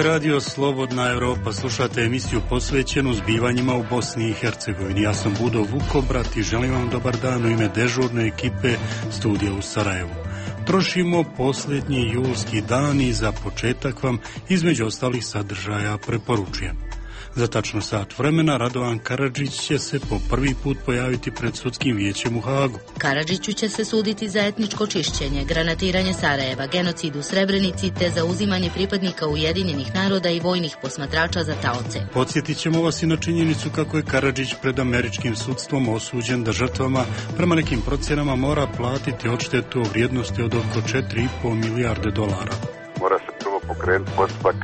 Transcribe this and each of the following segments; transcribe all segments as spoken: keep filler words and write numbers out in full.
je radio Slobodna Europa. Slušate emisiju posvećenu zbivanjima u Bosni i Hercegovini. Ja sam Budo Vukobrat i želim vam dobar dan u ime dežurne ekipe studija u Sarajevu. Trošimo posljednji julski dan i za početak vam između ostalih sadržaja preporučujem. Za tačno sat vremena Radovan Karadžić će se po prvi put pojaviti pred sudskim vijećem u Hagu. Karadžiću će se suditi za etničko čišćenje, granatiranje Sarajeva, genocid u Srebrenici te za uzimanje pripadnika Ujedinjenih naroda i vojnih posmatrača za taoce. Podsjetit ćemo vas i na činjenicu kako je Karadžić pred američkim sudstvom osuđen da žrtvama prema nekim procjenama mora platiti odštetu o vrijednosti od oko četiri i pol milijarde dolara. Mora se prvo pokrenuti postupak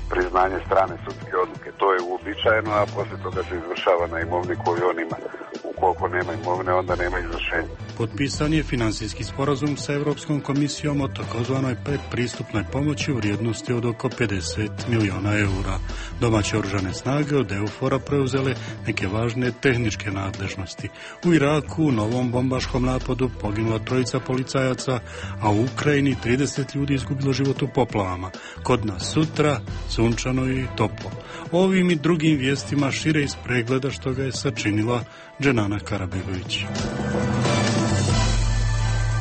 priznanje strane sudske odluke. To je uobičajeno, a poslije toga se izvršava na imovini koju on ima. Ukoliko nema imovine, onda nema izvršenja. Potpisan je financijski sporazum sa Europskom komisijom o takozvanoj predpristupnoj pomoći u vrijednosti od oko pedeset milijuna eura. Domaće oružane snage od EUFOR-a preuzele neke važne tehničke nadležnosti. U Iraku u novom bombaškom napadu poginula trojica policajaca, a u Ukrajini trideset ljudi izgubilo život u poplavama. Kod nas sutra sunčano i toplo. Ovim i drugim vijestima šire iz pregleda što ga je sačinila Dženana Karabegović.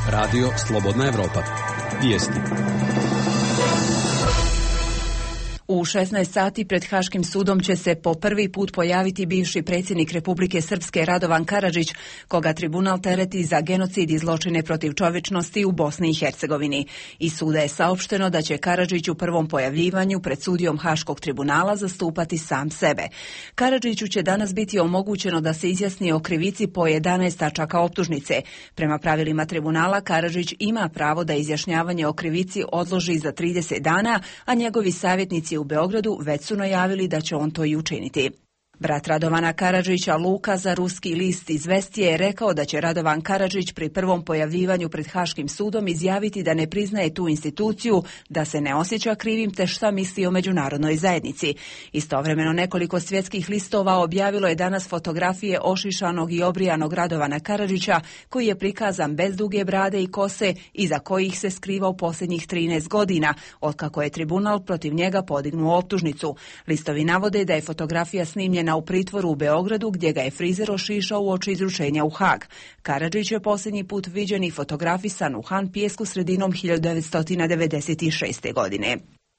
Radio Slobodna Evropa. Vijesti. U šesnaest sati pred Haškim sudom će se po prvi put pojaviti bivši predsjednik Republike Srpske Radovan Karadžić, koga tribunal tereti za genocid i zločine protiv čovječnosti u Bosni i Hercegovini. Iz suda je saopšteno da će Karadžić u prvom pojavljivanju pred sudijom Haškog tribunala zastupati sam sebe. Karadžiću će danas biti omogućeno da se izjasni o krivici po jedanaest tačaka optužnice. Prema pravilima tribunala Karadžić ima pravo da izjašnjavanje o krivici odloži za trideset dana, a njegovi savjetnici u Beogradu već su najavili da će on to i učiniti. Brat Radovana Karadžića, Luka, za ruski list Izvestije je rekao da će Radovan Karadžić pri prvom pojavljivanju pred Haškim sudom izjaviti da ne priznaje tu instituciju, da se ne osjeća krivim te šta misli o međunarodnoj zajednici. Istovremeno nekoliko svjetskih listova objavilo je danas fotografije ošišanog i obrijanog Radovana Karadžića, koji je prikazan bez duge brade i kose, iza kojih se skriva u posljednjih trinaest godina, otkako je tribunal protiv njega podignuo optužnicu. Listovi navode da je fotografija snimljena u pritvoru u Beogradu, gdje ga je frizer ošišao uoči izručenja u Hag. Karadžić je posljednji put viđen i fotografisan u Han Pijesku sredinom hiljadu devetsto devedeset šeste. godine.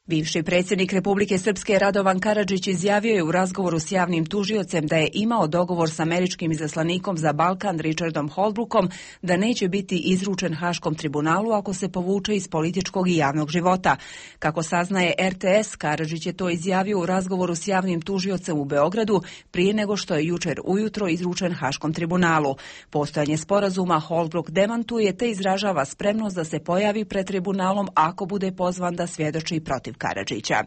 Bivši predsjednik Republike Srpske Radovan Karadžić izjavio je u razgovoru s javnim tužiocem da je imao dogovor s američkim izaslanikom za Balkan Richardom Holbrookom da neće biti izručen Haškom tribunalu ako se povuče iz političkog i javnog života. Kako saznaje R T S, Karadžić je to izjavio u razgovoru s javnim tužiocem u Beogradu prije nego što je jučer ujutro izručen Haškom tribunalu. Postojanje sporazuma Holbrook demantuje te izražava spremnost da se pojavi pred tribunalom ako bude pozvan da svjedoči protiv Karadžića.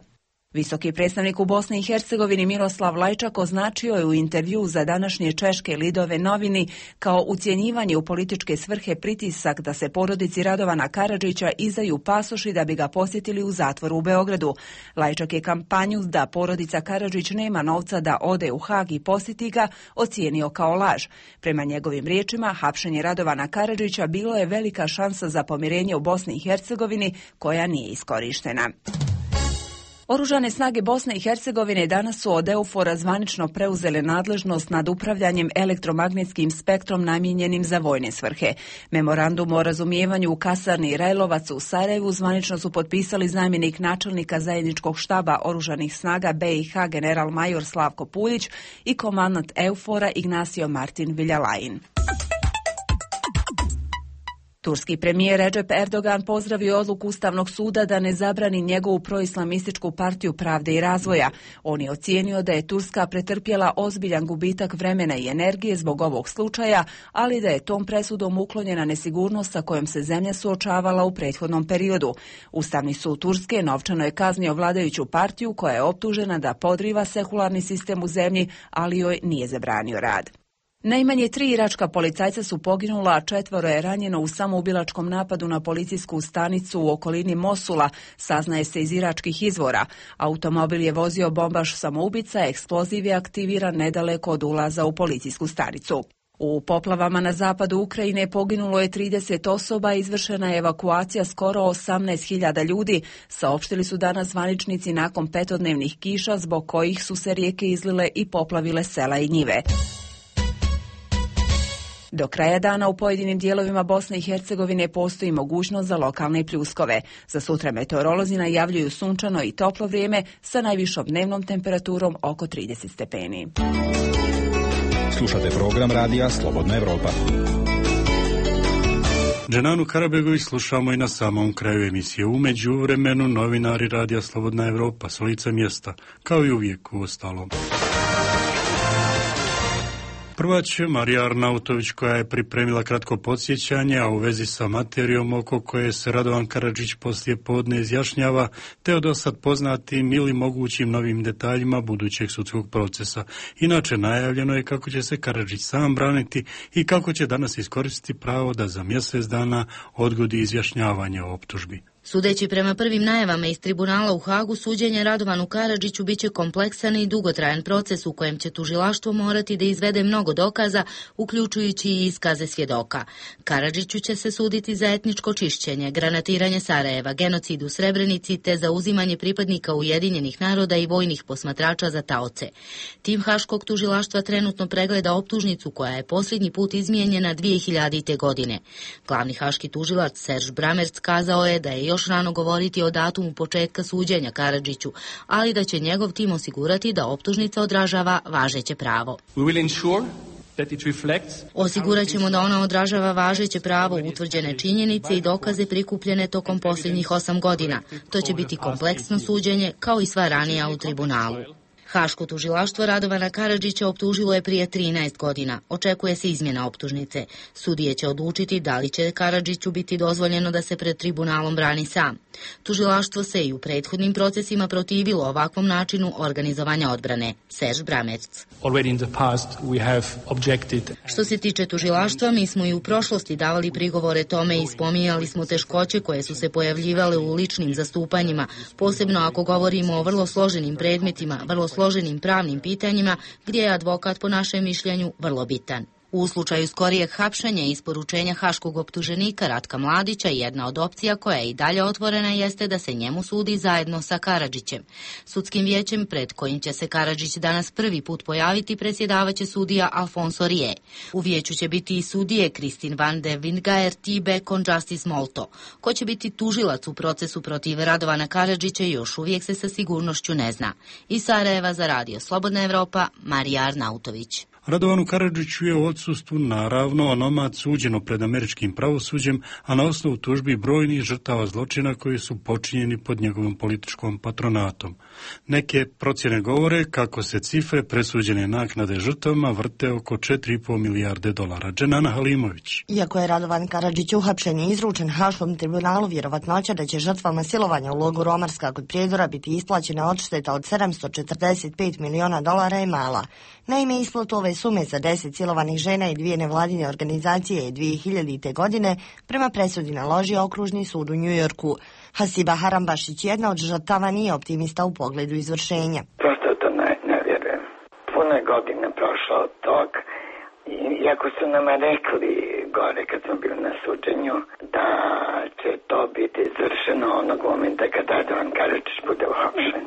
Visoki predstavnik u Bosni i Hercegovini Miroslav Lajčak označio je u intervjuu za današnje češke Lidove novini kao ucjenjivanje u političke svrhe pritisak da se porodici Radovana Karadžića izdaju pasoši da bi ga posjetili u zatvoru u Beogradu. Lajčak je kampanju da porodica Karadžić nema novca da ode u Hag i posjeti ga ocijenio kao laž. Prema njegovim riječima, hapšenje Radovana Karadžića bilo je velika šansa za pomirenje u Bosni i Hercegovini koja nije iskorištena. Oružane snage Bosne i Hercegovine danas su od EUFOR-a zvanično preuzele nadležnost nad upravljanjem elektromagnetskim spektrom namijenjenim za vojne svrhe. Memorandum o razumijevanju u kasarni Rajlovac u Sarajevu zvanično su potpisali zamjenik načelnika zajedničkog štaba oružanih snaga B i H general major Slavko Puljić i komandant EUFOR-a Ignacio Martin Viljalajin. Turski premijer Recep Erdogan pozdravio odluku Ustavnog suda da ne zabrani njegovu proislamističku partiju Pravde i razvoja. On je ocijenio da je Turska pretrpjela ozbiljan gubitak vremena i energije zbog ovog slučaja, ali da je tom presudom uklonjena nesigurnost sa kojom se zemlja suočavala u prethodnom periodu. Ustavni sud Turske novčano je kaznio vladajuću partiju koja je optužena da podriva sekularni sistem u zemlji, ali joj nije zabranio rad. Najmanje tri iračka policajca su poginula, a četvoro je ranjeno u samoubilačkom napadu na policijsku stanicu u okolini Mosula, saznaje se iz iračkih izvora. Automobil je vozio bombaš samoubica, eksploziv je aktiviran nedaleko od ulaza u policijsku stanicu. U poplavama na zapadu Ukrajine poginulo je trideset osoba, izvršena je evakuacija skoro osamnaest hiljada ljudi, saopštili su danas zvaničnici nakon petodnevnih kiša zbog kojih su se rijeke izlile i poplavile sela i njive. Do kraja dana u pojedinim dijelovima Bosne i Hercegovine postoji mogućnost za lokalne pljuskove. Za sutra meteorolozi najavljuju sunčano i toplo vrijeme sa najvišom dnevnom temperaturom oko trideset stepeni. Slušate program radija Slobodna Evropa. Dženanu Karabegović slušamo i na samom kraju emisije. U međuvremenu novinari radija Slobodna Evropa s lica mjesta, kao i uvijek u ostalom. Prva će Marija Arnautović, koja je pripremila kratko podsjećanje, a u vezi sa materijom oko koje se Radovan Karadžić poslije podne izjašnjava, te o dosad poznatim ili mogućim novim detaljima budućeg sudskog procesa. Inače, najavljeno je kako će se Karadžić sam braniti i kako će danas iskoristiti pravo da za mjesec dana odgodi izjašnjavanje o optužbi. Sudeći prema prvim najavama iz tribunala u Hagu, suđenje Radovanu Karadžiću biće kompleksan i dugotrajan proces u kojem će tužilaštvo morati da izvede mnogo dokaza, uključujući i iskaze svjedoka. Karadžiću će se suditi za etničko čišćenje, granatiranje Sarajeva, genocid u Srebrenici te za uzimanje pripadnika Ujedinjenih naroda i vojnih posmatrača za taoce. Tim haškog tužilaštva trenutno pregleda optužnicu koja je posljednji put izmijenjena dvije hiljadite. godine. Glavni haški tužilac Serž Bramerc kazao je da je još rano govoriti o datumu početka suđenja Karadžiću, ali da će njegov tim osigurati da optužnica odražava važeće pravo. Osigurat ćemo da ona odražava važeće pravo, utvrđene činjenice i dokaze prikupljene tokom posljednjih osam godina. To će biti kompleksno suđenje, kao i sva ranija u tribunalu. Haško tužilaštvo Radovana Karadžića optužilo je prije trinaest godina. Očekuje se izmjena optužnice. Sudije će odlučiti da li će Karadžiću biti dozvoljeno da se pred tribunalom brani sam. Tužilaštvo se i u prethodnim procesima protivilo ovakvom načinu organizovanja odbrane. Serž Bramerc. Što se tiče tužilaštva, mi smo i u prošlosti davali prigovore tome i spominjali smo teškoće koje su se pojavljivale u ličnim zastupanjima, posebno ako govorimo o vrlo složenim predmetima, vrlo složenim pravnim pitanjima, gdje je advokat po našem mišljenju vrlo bitan. U slučaju skorijeg hapšenja i isporučenja haškog optuženika Ratka Mladića, jedna od opcija koja je i dalje otvorena jeste da se njemu sudi zajedno sa Karadžićem. Sudskim vijećem pred kojim će se Karadžić danas prvi put pojaviti predsjedavaće sudija Alfonso Rije. U vijeću će biti i sudije Kristin van de Windgaer, Tibe, Conjustice Molto. Ko će biti tužilac u procesu protiv Radovana Karadžića još uvijek se sa sigurnošću ne zna. Iz Sarajeva za radio Slobodna Evropa, Marija Arnautović. Radovanu Karadžiću je u odsustvu naravno onomad suđeno pred američkim pravosuđem, a na osnovu tužbi brojnih žrtava zločina koji su počinjeni pod njegovom političkom patronatom. Neke procjene govore kako se cifre presuđene naknade žrtvama vrte oko četiri i pol milijarde dolara. Dženana Halimović. Iako je Radovan Karadžić uhapšen i izručen Haškom tribunalu, vjerovatnoća da će žrtvama silovanja u logoru Omarska kod Prijedora biti isplaćena odšteta od sedamsto četrdeset pet miliona dolara je mala. Naime, isplatu ove sume za deset silovanih žena i dvije nevladine organizacije je dvije hiljadite. godine prema presudi naložio okružni sud u Njujorku. Hasiba Harambašić, jedna od žrtava, nije optimista u pogledu izvršenja. Prosto to ne, ne vjerujem. Puno je godina prošlo od tog. Iako su nama rekli gore kad smo bili na suđenju da će to biti izvršeno onog momenta kad Radovan Karadžić bude uhapšen.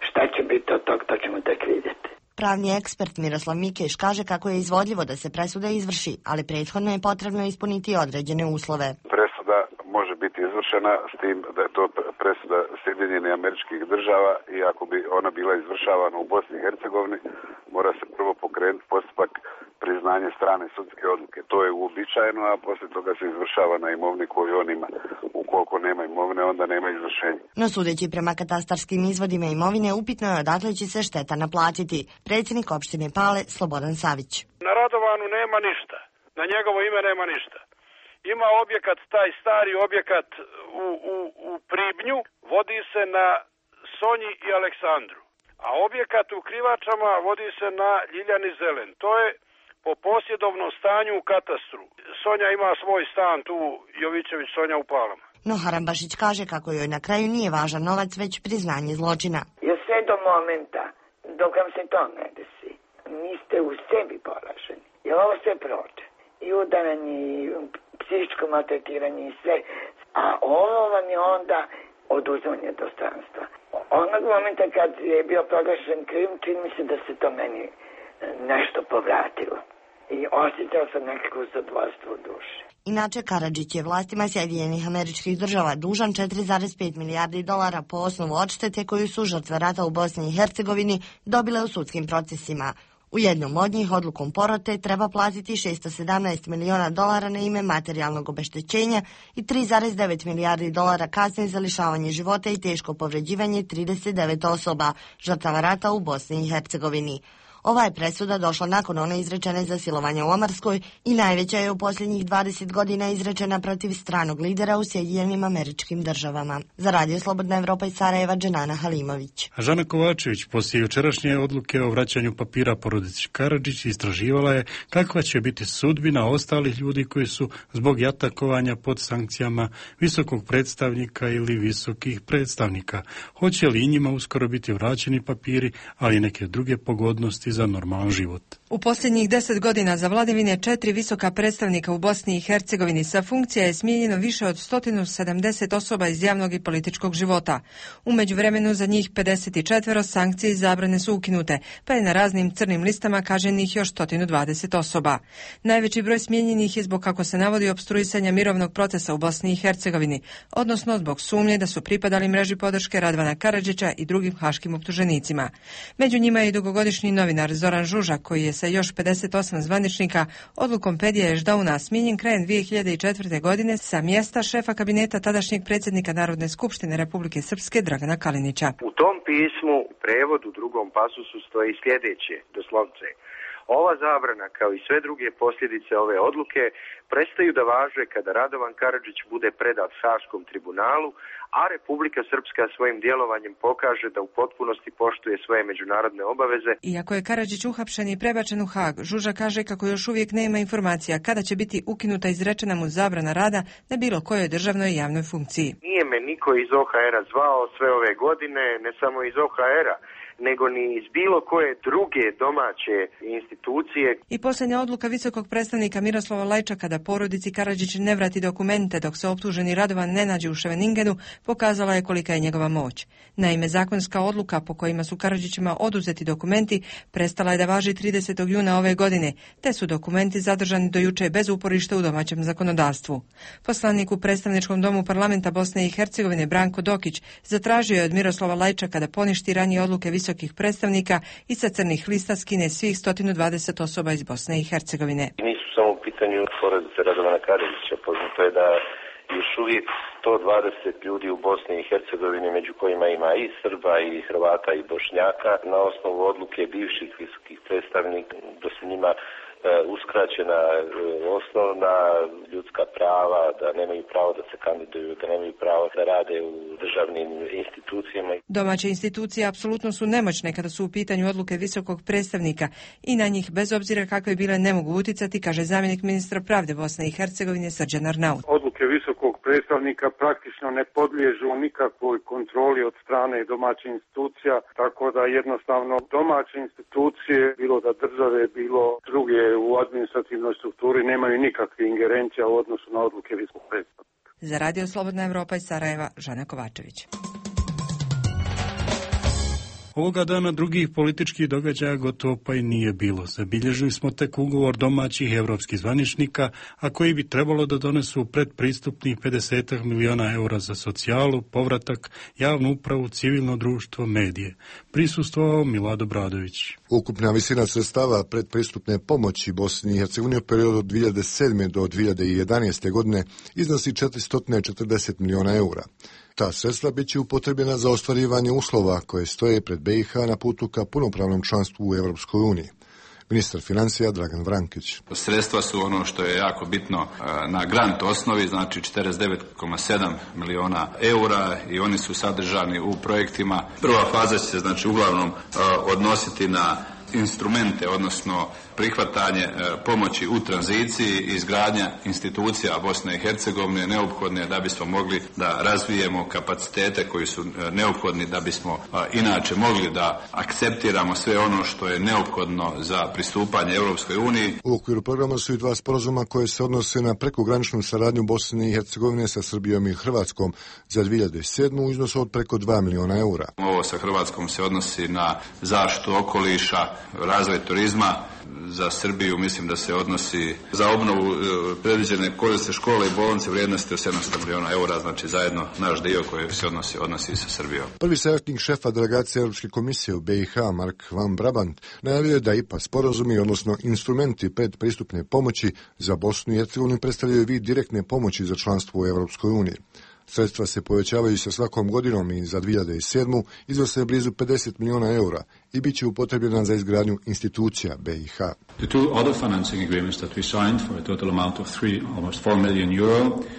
Šta će biti od tog, to ćemo tek vidjeti. Pravni ekspert Miroslav Mikeš kaže kako je izvodljivo da se presuda izvrši, ali prethodno je potrebno ispuniti određene uslove. Presuda može biti izvršena s tim da je to presuda Sjedinjenih Američkih Država i ako bi ona bila izvršavana u Bosni i Hercegovini, mora se prvo pokrenuti postupak priznanje strane sudske odluke. To je uobičajeno, a poslije toga se izvršava na imovini koju on ima. Ukoliko nema imovine, onda nema izvršenja. No sudeći prema katastarskim izvodima imovine, upitno je odakle će se šteta naplatiti. Predsjednik opštine Pale, Slobodan Savić. Na Radovanu nema ništa. Na njegovo ime nema ništa. Ima objekat, taj stari objekat u, u, u Pribnju, vodi se na Sonji i Aleksandru. A objekat u Krivačama vodi se na Ljiljani Zelen. To je po posjedovnom stanju u katastru. Sonja ima svoj stan tu, Jovićević Sonja u Palama. No Harambašić kaže kako joj na kraju nije važan novac, već priznanje zločina. Jer sve do momenta, dok vam se to ne desi, niste u sebi poraženi. ovo sve prođe. I udaranje, i psihičko maltretiranje i sve. A ovo vam je onda oduzimanje dostojanstva. Onog momenta kad je bio proglašen krivim, čini mi se da se to meni nešto povratilo. I osjećao sam nekako zadovoljstvo u duši. Inače, Karadžić je vlastima Sjedinjenih Američkih Država dužan četiri zarez pet milijardi dolara po osnovu odštete koju su žrtve rata u Bosni i Hercegovini dobile u sudskim procesima. U jednom od njih odlukom porote treba platiti šesto sedamnaest miliona dolara na ime materijalnog obeštećenja i tri zarez devet milijardi dolara kazne za lišavanje života i teško povređivanje trideset devet osoba, žrtava rata u Bosni i Hercegovini. Ova je presuda došla nakon one izrečene za silovanje u Omarskoj i najveća je u posljednjih dvadeset godina izrečena protiv stranog lidera u Sjedinjenim Američkim Državama. Za Radio Slobodna Evropa iz Sarajeva, Dženana Halimović. A Žana Kovačević poslije jučerašnje odluke o vraćanju papira porodici Karadžić istraživala je kakva će biti sudbina ostalih ljudi koji su zbog jatakovanja pod sankcijama visokog predstavnika ili visokih predstavnika. Hoće li i njima uskoro biti vraćeni papiri, ali i neke druge pogodnosti za normalan život. U posljednjih deset godina za vladavine četiri visoka predstavnika u Bosni i Hercegovini sa funkcija je smijenjeno više od sto sedamdeset osoba iz javnog i političkog života. U međuvremenu za njih pedeset četiri sankcije i zabrane su ukinute, pa je na raznim crnim listama kažnjenih još sto dvadeset osoba. Najveći broj smijenjenih je zbog, kako se navodi, opstruisanja mirovnog procesa u Bosni i Hercegovini, odnosno zbog sumnje da su pripadali mreži podrške Radovana Karadžića i drugim haškim optuženicima. Među njima je i dugogodišnji novinar Zoran Žužak, koji je sa još pedeset osam zvaničnika odlukom Pedija Ešdauna smijenjen krajem dvije hiljade četvrte. godine sa mjesta šefa kabineta tadašnjeg predsjednika Narodne skupštine Republike Srpske Dragana Kalinića. U tom pismu u prevodu drugom pasusu stoji sljedeće, doslovce: ova zabrana, kao i sve druge posljedice ove odluke, prestaju da važe kada Radovan Karadžić bude predat Haškom tribunalu, a Republika Srpska svojim djelovanjem pokaže da u potpunosti poštuje svoje međunarodne obaveze. Iako je Karadžić uhapšen i prebačen u Hag, Žuža kaže kako još uvijek nema informacija kada će biti ukinuta izrečena mu zabrana rada na bilo kojoj državnoj i javnoj funkciji. Nije me niko iz O H R-a zvao sve ove godine, ne samo iz O H R-a, nego ni iz bilo koje druge domaće institucije. I posljednja odluka visokog predstavnika Miroslava Lajčaka da porodici Karadžić ne vrati dokumente dok se optuženi Radovan ne nađe u Ševeningenu pokazala je kolika je njegova moć. Naime, zakonska odluka po kojima su Karadžićima oduzeti dokumenti prestala je da važi tridesetog juna ove godine, te su dokumenti zadržani do juče bez uporišta u domaćem zakonodavstvu. Poslanik u predstavničkom domu parlamenta Bosne i Hercegovine Branko Dokić zatražio je od Miroslava Lajčaka da poništi ranije odluke visokih predstavnika i sa crnih lista skine svih sto dvadeset osoba iz Bosne i Hercegovine. Nisu samo u pitanju porodice Radovana Karadžića, poznato je da još uvijek sto dvadeset ljudi u Bosni i Hercegovini, među kojima ima i Srba, i Hrvata, i Bošnjaka, na osnovu odluke bivših visokih predstavnika, da se njima uskraćena osnovna ljudska prava, da nemaju pravo da se kandiduju, da nemaju pravo da rade u državnim institucijama. Domaće institucije apsolutno su nemoćne kada su u pitanju odluke visokog predstavnika i na njih, bez obzira kakve bile, ne mogu utjecati, kaže zamjenik ministra pravde Bosne i Hercegovine Srđan Arnaut. Odluke visokog predstavnika praktično ne podliježu nikakvoj kontroli od strane domaćih institucija, tako da jednostavno domaće institucije, bilo da države, bilo druge u administrativnoj strukturi, nemaju nikakve ingerencija u odnosu na odluke visokog predstavnika. Za Radio Slobodna Evropa iz Sarajeva, Žana Kovačević. Ovoga dana drugih političkih događaja gotovo pa i nije bilo. Zabilježili smo tek ugovor domaćih evropskih zvaničnika, a koji bi trebalo da donesu predpristupnih pedeset miliona eura za socijalu, povratak, javnu upravu, civilno društvo, medije. Prisustvovao Milado Bradović. Ukupna visina sredstava predpristupne pomoći Bosni i Hercegovini u periodu od dvije hiljade sedme do dvije hiljade jedanaeste. godine iznosi četiristo četrdeset miliona eura. Ta sredstva bit će upotrebljena za ostvarivanje uslova koje stoje pred B i H na putu ka punopravnom članstvu u Europskoj uniji. Ministar financija Dragan Vrankić. Sredstva su ono što je jako bitno na grant osnovi, znači četrdeset devet zarez sedam miliona eura, i oni su sadržani u projektima. Prva faza će se znači uglavnom odnositi na instrumente, odnosno prihvatanje pomoći u tranziciji i izgradnja institucija Bosne i Hercegovine neophodne da bismo mogli da razvijemo kapacitete koji su neophodni da bismo inače mogli da akceptiramo sve ono što je neophodno za pristupanje Europskoj uniji. U okviru programa su i dva sporazuma koje se odnose na prekograničnu saradnju Bosne i Hercegovine sa Srbijom i Hrvatskom za dvije hiljade sedmu u iznosu od preko dva miliona eura. Ovo sa Hrvatskom se odnosi na zaštitu okoliša, razvoj turizma. Za Srbiju mislim da se odnosi za obnovu predviđene korisne škole i bolnice vrijednosti od sedamsto miliona eura, znači zajedno naš dio koji se odnosi, odnosi sa Srbijom. Prvi savjetnik šefa delegacije Europske komisije u B i H, Mark Van Brabant, najavio je da I P A sporazumi, odnosno instrumenti predpristupne pomoći za Bosnu i Hercegovinu predstavljaju vid direktne pomoći za članstvo u Europskoj uniji. Sredstva se povećavaju sa svakom godinom i za dvije hiljade sedmu iznose blizu pedeset miliona eura i bit će upotrebljena za izgradnju institucija B i H.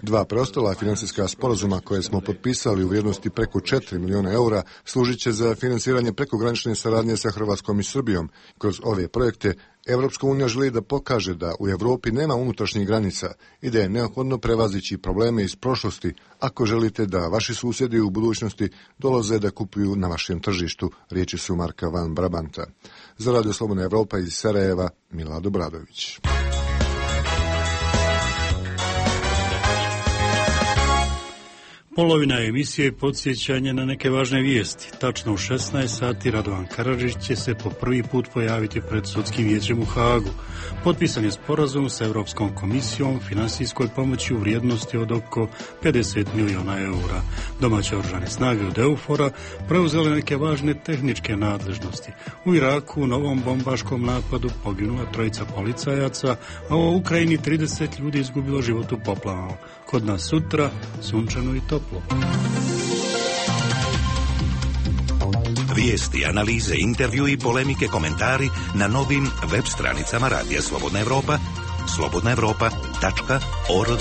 Dva preostala financijska sporazuma koje smo potpisali u vrijednosti preko četiri miliona eura služit će za financiranje prekogranične saradnje sa Hrvatskom i Srbijom. Kroz ove projekte Evropska unija želi da pokaže da u Evropi nema unutrašnjih granica i da je neophodno prevazići probleme iz prošlosti ako želite da vaši susjedi u budućnosti dolaze da kupuju na vašem tržištu, riječi su Marka Van Brabanta. Za Radio Slobodna Evropa iz Sarajeva, Milad Obradović. Polovina emisije je podsjećanje na neke važne vijesti. Tačno u šesnaest sati Radovan Karadžić će se po prvi put pojaviti pred sudskim vijećem u Hagu. Potpisan je sporazum sa Europskom komisijom finansijskoj pomoći u vrijednosti od oko pedeset miliona eura. Domaće oružane snage od EUFOR-a preuzele neke važne tehničke nadležnosti. U Iraku u novom bombaškom napadu poginula trojica policajaca, a u Ukrajini trideset ljudi izgubilo život u poplavama. Kod nas sutra sunčano i toplo. Vijesti, analize, intervju i polemike, komentari na novim web stranicama Radija Slobodna Evropa, slobodna evropa tačka org.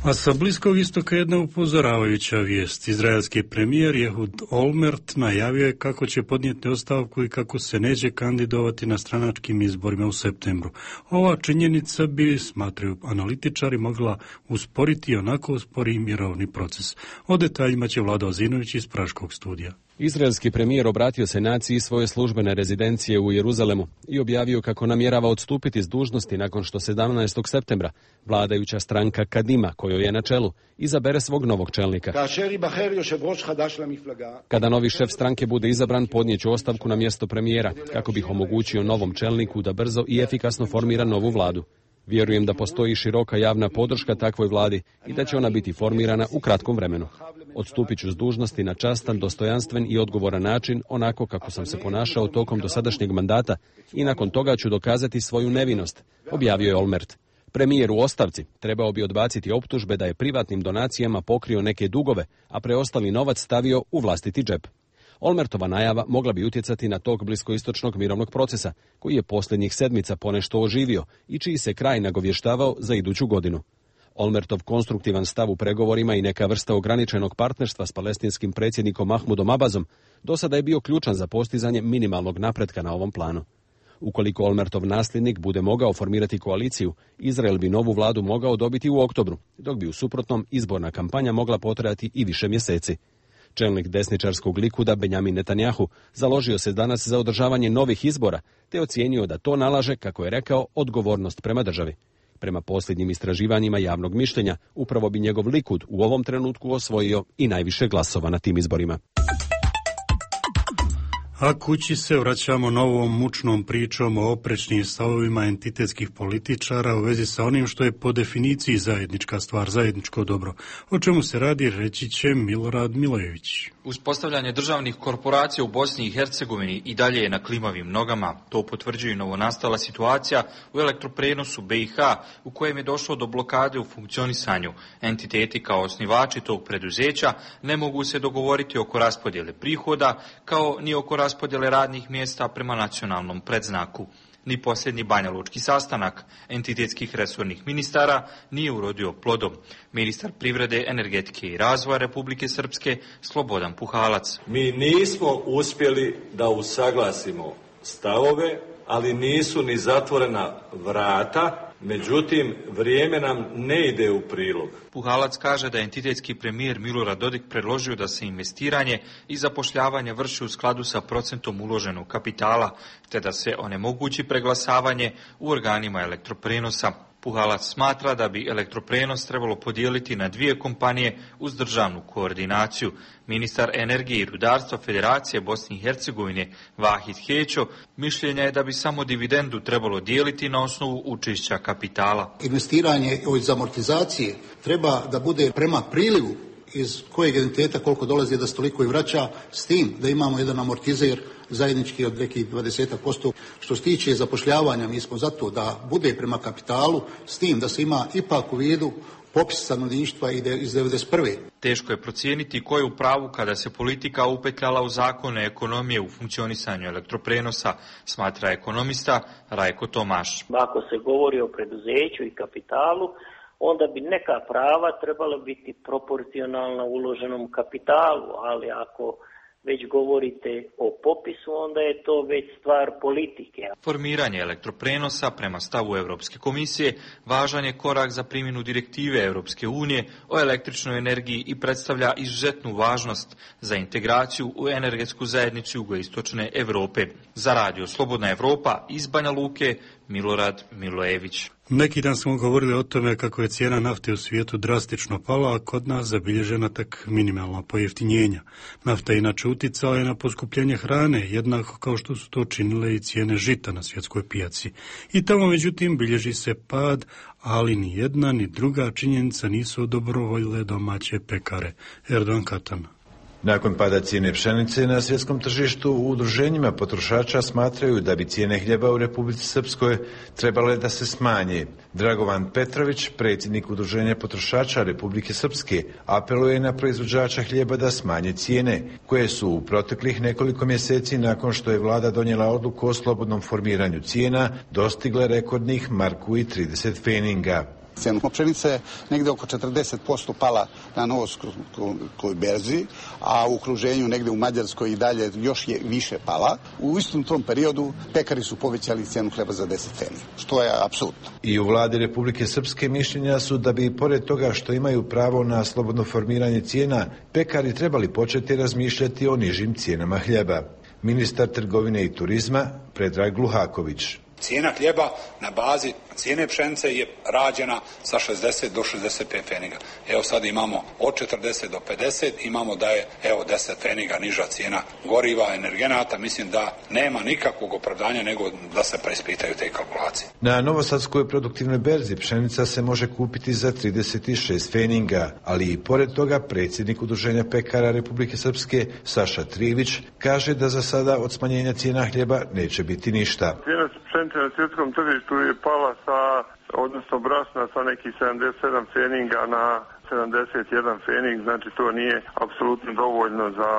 A sa Bliskog istoka jedna upozoravajuća vijest. Izraelski premijer Ehud Olmert najavio je kako će podnijeti ostavku i kako se neće kandidovati na stranačkim izborima u septembru. Ova činjenica bi, smatraju analitičari, mogla usporiti onako uspori mirovni proces. O detaljima će Vlado Ozinović iz Praškog studija. Izraelski premijer obratio se naciji svoje službene rezidencije u Jeruzalemu i objavio kako namjerava odstupiti s dužnosti nakon što sedamnaestog septembra vladajuća stranka Kadima, kojoj je na čelu, izabere svog novog čelnika. Kada novi šef stranke bude izabran, podnijeću ostavku na mjesto premijera, kako bih omogućio novom čelniku da brzo i efikasno formira novu vladu. Vjerujem da postoji široka javna podrška takvoj vladi i da će ona biti formirana u kratkom vremenu. Odstupit ću s dužnosti na častan, dostojanstven i odgovoran način, onako kako sam se ponašao tokom dosadašnjeg mandata, i nakon toga ću dokazati svoju nevinost, objavio je Olmert. Premijer u ostavci trebao bi odbaciti optužbe da je privatnim donacijama pokrio neke dugove, a preostali novac stavio u vlastiti džep. Olmertova najava mogla bi utjecati na tok bliskoistočnog mirovnog procesa, koji je posljednjih sedmica ponešto oživio i čiji se kraj nagovještavao za iduću godinu. Olmertov konstruktivan stav u pregovorima i neka vrsta ograničenog partnerstva s palestinskim predsjednikom Mahmudom Abazom do sada je bio ključan za postizanje minimalnog napretka na ovom planu. Ukoliko Olmertov nasljednik bude mogao formirati koaliciju, Izrael bi novu vladu mogao dobiti u oktobru, dok bi u suprotnom izborna kampanja mogla potrajati i više mjeseci. Čelnik desničarskog Likuda Benjamin Netanjahu založio se danas za održavanje novih izbora, te ocijenio da to nalaže, kako je rekao, odgovornost prema državi. Prema posljednjim istraživanjima javnog mišljenja, upravo bi njegov Likud u ovom trenutku osvojio i najviše glasova na tim izborima. A kući se vraćamo novom mučnom pričom o oprečnim stavovima entitetskih političara u vezi sa onim što je po definiciji zajednička stvar, zajedničko dobro. O čemu se radi, reći će Milorad Milojević. Uspostavljanje državnih korporacija u Bosni i Hercegovini i dalje je na klimavim nogama. To potvrđuje novonastala situacija u elektroprenosu B i H, u kojem je došlo do blokade u funkcionisanju. Entiteti kao osnivači tog preduzeća ne mogu se dogovoriti oko raspodjele prihoda, kao ni oko raspodjele radnih mjesta prema nacionalnom predznaku. Ni posljednji banjalučki sastanak entitetskih resornih ministara nije urodio plodom. Ministar privrede, energetike i razvoja Republike Srpske Slobodan Puhalac. Mi nismo uspjeli da usaglasimo stavove, ali nisu ni zatvorena vrata. Međutim, vrijeme nam ne ide u prilog. Puhalac kaže da je entitetski premijer Milorad Dodik predložio da se investiranje i zapošljavanje vrši u skladu sa procentom uloženog kapitala, te da se onemogući preglasavanje u organima elektroprenosa. Puhalac smatra da bi elektroprenos trebalo podijeliti na dvije kompanije uz državnu koordinaciju. Ministar energije i rudarstva Federacije Bosne i Hercegovine Vahid Hećo mišljenja je da bi samo dividendu trebalo dijeliti na osnovu učešća kapitala. Investiranje iz amortizacije treba da bude prema prilivu iz kojeg entiteta koliko dolazi da se toliko i vraća, s tim da imamo jedan amortizer zajednički od nekih dvadeset posto. Što se tiče zapošljavanja, mi smo zato da bude prema kapitalu, s tim da se ima ipak u vidu popis stanovništva iz devedeset prve. Teško je procijeniti ko je u pravu kada se politika upetljala u zakone ekonomije u funkcionisanju elektroprenosa, smatra ekonomista Rajko Tomaš. Ako se govori o preduzeću i kapitalu, onda bi neka prava trebala biti proporcionalna uloženom kapitalu, ali ako već govorite o popisu, onda je to već stvar politike. Formiranje elektroprenosa prema stavu Europske komisije važan je korak za primjenu direktive Europske unije o električnoj energiji i predstavlja izuzetnu važnost za integraciju u energetsku zajednicu jugoistočne Europe. Za radio Slobodna Evropa iz Banja Luke, Milorad Milojević. Neki dan smo govorili o tome kako je cijena nafte u svijetu drastično pala, a kod nas zabilježena tak minimalna pojeftinjenja. Nafta inače uticala je na poskupljenje hrane, jednako kao što su to činile i cijene žita na svjetskoj pijaci. I tamo međutim bilježi se pad, ali ni jedna ni druga činjenica nisu odobrovoljile domaće pekare. Erdogan Katan. Nakon pada cijene pšenice na svjetskom tržištu, u udruženjima potrošača smatraju da bi cijene hljeba u Republici Srpskoj trebale da se smanje. Dragovan Petrović, predsjednik udruženja potrošača Republike Srpske, apeluje na proizvođača hljeba da smanje cijene, koje su u proteklih nekoliko mjeseci nakon što je vlada donijela odluku o slobodnom formiranju cijena, dostigle rekordnih marku i trideset feninga. Cijena pšenice je negdje oko četrdeset posto pala na novosrpskoj berzi, a u okruženju negdje u Mađarskoj i dalje još je više pala. U istom tom periodu pekari su povećali cijenu hleba za deset feninga, što je apsolutno. I u vladi Republike Srpske mišljenja su da bi, pored toga što imaju pravo na slobodno formiranje cijena, pekari trebali početi razmišljati o nižim cijenama hljeba. Ministar trgovine i turizma Predrag Gluhaković. Cijena hljeba na bazi cijene pšenice je rađena sa šezdeset do šezdeset pet feninga. Evo sad imamo od četrdeset do pedeset, imamo da je evo deset feninga niža cijena goriva, energenata. Mislim da nema nikakvog opravdanja nego da se preispitaju te kalkulacije. Na novosadskoj produktivnoj berzi pšenica se može kupiti za trideset šest feninga, ali i pored toga predsjednik udruženja pekara Republike Srpske Saša Trivić kaže da za sada od smanjenja cijena hljeba neće biti ništa. Pšenica na svjetskom tržištu je pala sa, odnosno brašna sa nekih sedamdeset sedam feninga na sedamdeset jedan fening, znači to nije apsolutno dovoljno za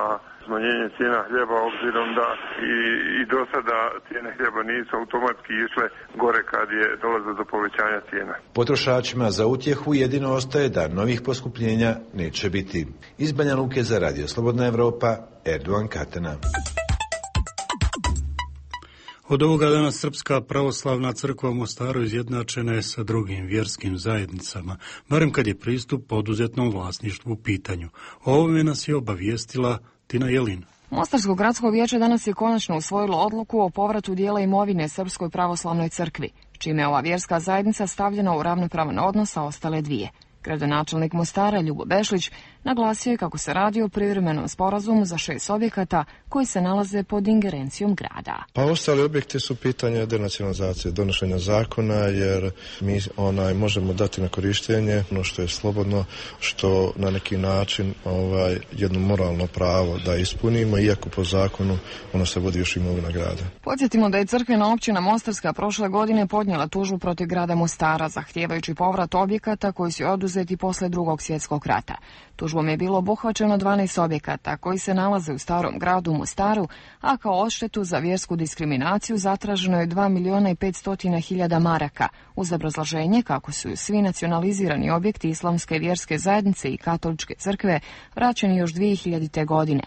smanjenje cijena hljeba, obzirom da i, i do sada cijene hljeba nisu automatski išle gore kad je dolazilo do povećanja cijena. Potrošačima za utjehu jedino ostaje da novih poskupljenja neće biti. Iz Banja Luke za radio Slobodna Evropa, Erdogan Katana. Od ovoga dana Srpska pravoslavna crkva u Mostaru izjednačena je sa drugim vjerskim zajednicama, barem kad je pristup poduzetnom vlasništvu u pitanju. O ovome nas je obavijestila Tina Jelin. Mostarsko gradsko vijeće danas je konačno usvojilo odluku o povratu dijela imovine Srpskoj pravoslavnoj crkvi, čime je ova vjerska zajednica stavljena u ravnopravan odnos sa ostale dvije. Gradonačelnik Mostara Ljubo Bešlić naglasio je kako se radi o privremenom sporazumu za šest objekata koji se nalaze pod ingerencijom grada. Pa ostali objekti su pitanje denacionalizacije, donošenja zakona, jer mi onaj možemo dati na korištenje ono što je slobodno, što na neki način ovaj jedno moralno pravo da ispunimo, iako po zakonu ono se vodi još imovina grada. Podsjetimo da je crkvena općina Mostarska prošle godine podnijela tužbu protiv grada Mostara, zahtijevajući povrat objekata koji su oduzeti posle Drugog svjetskog rata. Tužba Tužbom je bilo obuhvaćeno dvanaest objekata koji se nalaze u Starom gradu u Mostaru, a kao odštetu za vjersku diskriminaciju zatraženo je dva miliona i petsto hiljada maraka, uz obrazloženje kako su svi nacionalizirani objekti islamske vjerske zajednice i katoličke crkve vraćeni još dvije hiljadite. godine.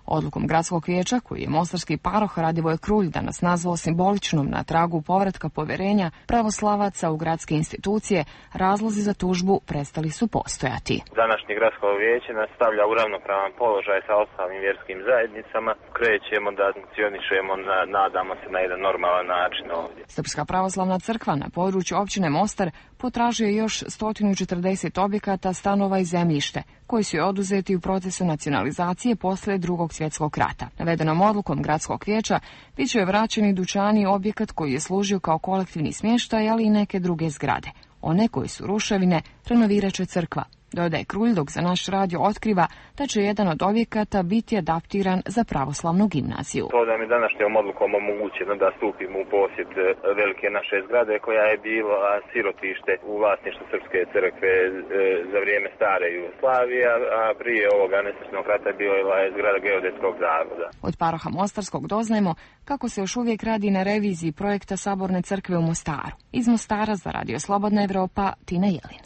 Odlukom gradskog vijeća, koji je mostarski paroh Radivoj Krulj danas nazvao simboličnom na tragu povratka poverenja pravoslavaca u gradske institucije, razlozi za tužbu prestali su postojati. Današnje gradsko vijeće nas stavlja u ravnopravan položaj sa ostalim vjerskim zajednicama. Krećemo da funkcionišemo, na, nadamo se, na jedan normalan način ovdje. Srpska pravoslavna crkva na području općine Mostar potražuje još sto četrdeset objekata, stanova i zemljište, koji su oduzeti u procesu nacionalizacije posle drugog svjetskog rata. Navedenom odlukom gradskog vijeća bit će vraćeni dućani objekat koji je služio kao kolektivni smještaj, ali i neke druge zgrade. One koji su ruševine renovirat će crkva. Dodaje Krulj, dok za naš radio otkriva da će jedan od objekata biti adaptiran za pravoslavnu gimnaziju. To da mi današnjom odlukom omogućeno da stupimo u posjed velike naše zgrade koja je bila sirotište u vlasništvu Srpske crkve za vrijeme stare Jugoslavije, a prije ovoga nesretnog rata bila je zgrada Geodetskog zavoda. Od paroha Mostarskog doznajemo kako se još uvijek radi na reviziji projekta Saborne crkve u Mostaru. Iz Mostara za Radio Slobodna Evropa, Tina Jelin.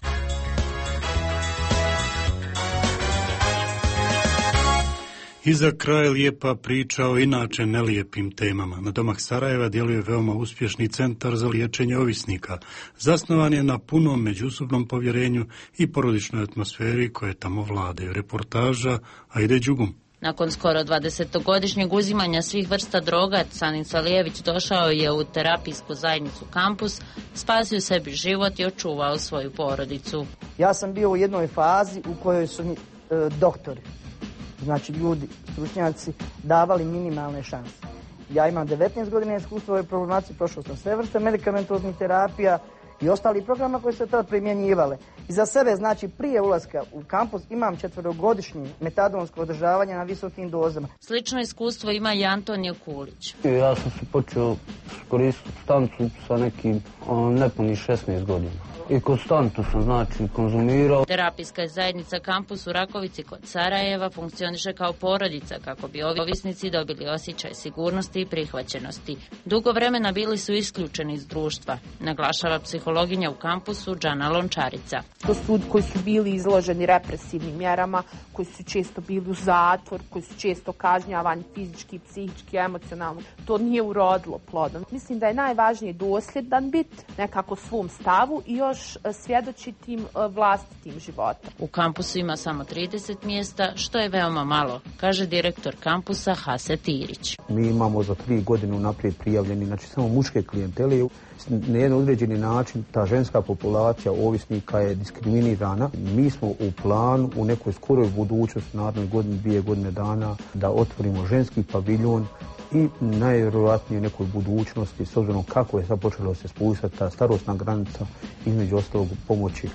I za kraj lijepa priča o inače nelijepim temama. Na domak Sarajeva djeluje veoma uspješni centar za liječenje ovisnika. Zasnovan je na punom međusobnom povjerenju i porodičnoj atmosferi koje tamo vladaju. Reportaža Ajde Đugum. Nakon skoro dvadesetogodišnjeg uzimanja svih vrsta droga, Canin Salijević došao je u terapijsku zajednicu Kampus, spasio sebi život i očuvao svoju porodicu. Ja sam bio u jednoj fazi u kojoj su mi e, doktori, znači ljudi, stručnjaci, davali minimalne šanse. Ja imam devetnaest godina iskustva u ovoj problematici, prošao sam sve vrste medikamentoznih terapija i ostali programa koji se tada primjenjivale. I za sebe, znači prije ulaska u kampus, imam četverogodišnje metadonsko održavanje na visokim dozama. Slično iskustvo ima i Antonio Kulić. Ja sam se počeo koristiti supstancu sa nekim nepunih šesnaest godina. I konstantno sam, znači, konzumirao. Terapijska zajednica Kampus u Rakovici kod Sarajeva funkcioniše kao porodica kako bi ovisnici dobili osjećaj sigurnosti i prihvaćenosti. Dugo vremena bili su isključeni iz društva, naglašava psihologinja u Kampusu Džana Lončarica. To su ljudi koji su bili izloženi represivnim mjerama, koji su često bili u zatvor, koji su često kažnjavani fizički, psihički, emocionalno. To nije urodilo plodom. Mislim da je najvažnije dosljedan biti nekako svom stavu i još svjedočitim vlastitim životom. U kampusu ima samo trideset mjesta, što je veoma malo, kaže direktor kampusa Hase Tirić. Mi imamo za tri godine naprijed prijavljeni, znači samo muške klijentele. Na jedan određeni način ta ženska populacija ovisnika je diskriminirana. Mi smo u planu u nekoj skoroj budućnosti, narednoj godini, dvije godine dana, da otvorimo ženski paviljon i najvjerojatnije u nekoj budućnosti, s obzirom kako je sad počelo se spustati ta starosna granica, između ostalog pomoći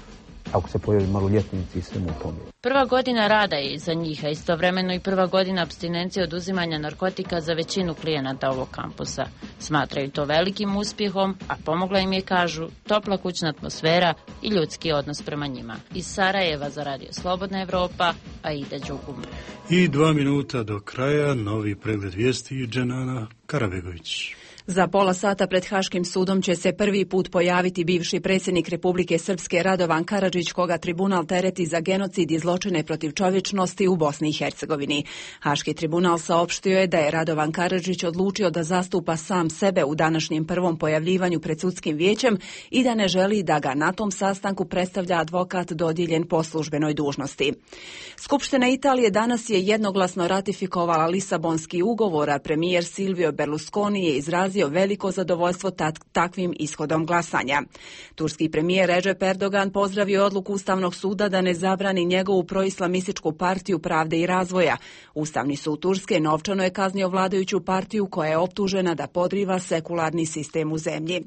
ako se pojavi maloljetnici i svemu tome. Prva godina rada je iza njih, a istovremeno i prva godina apstinencije od uzimanja narkotika za većinu klijenata ovog kampusa. Smatraju to velikim uspjehom, a pomogla im je, kažu, topla kućna atmosfera i ljudski odnos prema njima. Iz Sarajeva za Radio Slobodna Evropa, Aida Đugum. I dva minuta do kraja, novi pregled vijesti Dženana Karabegović. Za pola sata pred Haškim sudom će se prvi put pojaviti bivši predsjednik Republike Srpske Radovan Karadžić, koga tribunal tereti za genocid i zločine protiv čovječnosti u Bosni i Hercegovini. Haški tribunal saopštio je da je Radovan Karadžić odlučio da zastupa sam sebe u današnjem prvom pojavljivanju pred sudskim vijećem i da ne želi da ga na tom sastanku predstavlja advokat dodijeljen po službenoj dužnosti. Skupština Italije danas je jednoglasno ratifikovala Lisabonski ugovor, a premijer Silvio Berlusconi je izrazio veliko zadovoljstvo takvim ishodom glasanja. Turski premijer Recep Erdogan pozdravio odluku Ustavnog suda da ne zabrani njegovu proislamističku partiju Pravde i razvoja. Ustavni sud Turske novčano je kaznio vladajuću partiju koja je optužena da podriva sekularni sistem u zemlji.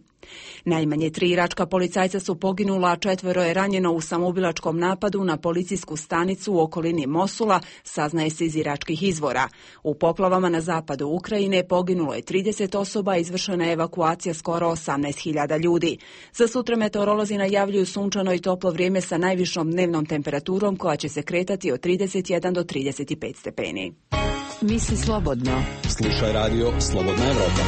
Najmanje tri iračka policajca su poginula, a četvero je ranjeno u samoubilačkom napadu na policijsku stanicu u okolini Mosula, saznaje se iz iračkih izvora. U poplavama na zapadu Ukrajine poginulo je trideset osoba, izvršena je evakuacija skoro osamnaest hiljada ljudi. Za sutra meteorolozi najavljuju sunčano i toplo vrijeme sa najvišom dnevnom temperaturom koja će se kretati od trideset jedan do trideset pet stepeni. Misli slobodno. Slušaj radio Slobodna Evropa.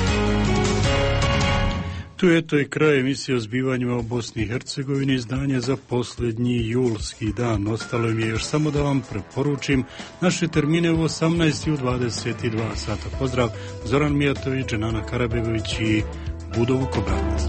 Tu je to i kraj emisije o zbivanjima u Bosni i Hercegovini, izdanje za posljednji julski dan. Ostalo mi je još samo da vam preporučim naše termine u osamnaest i u dvadeset dva sata. Pozdrav, Zoran Mijatović, Nana Karabegović i Budovu Kobranac.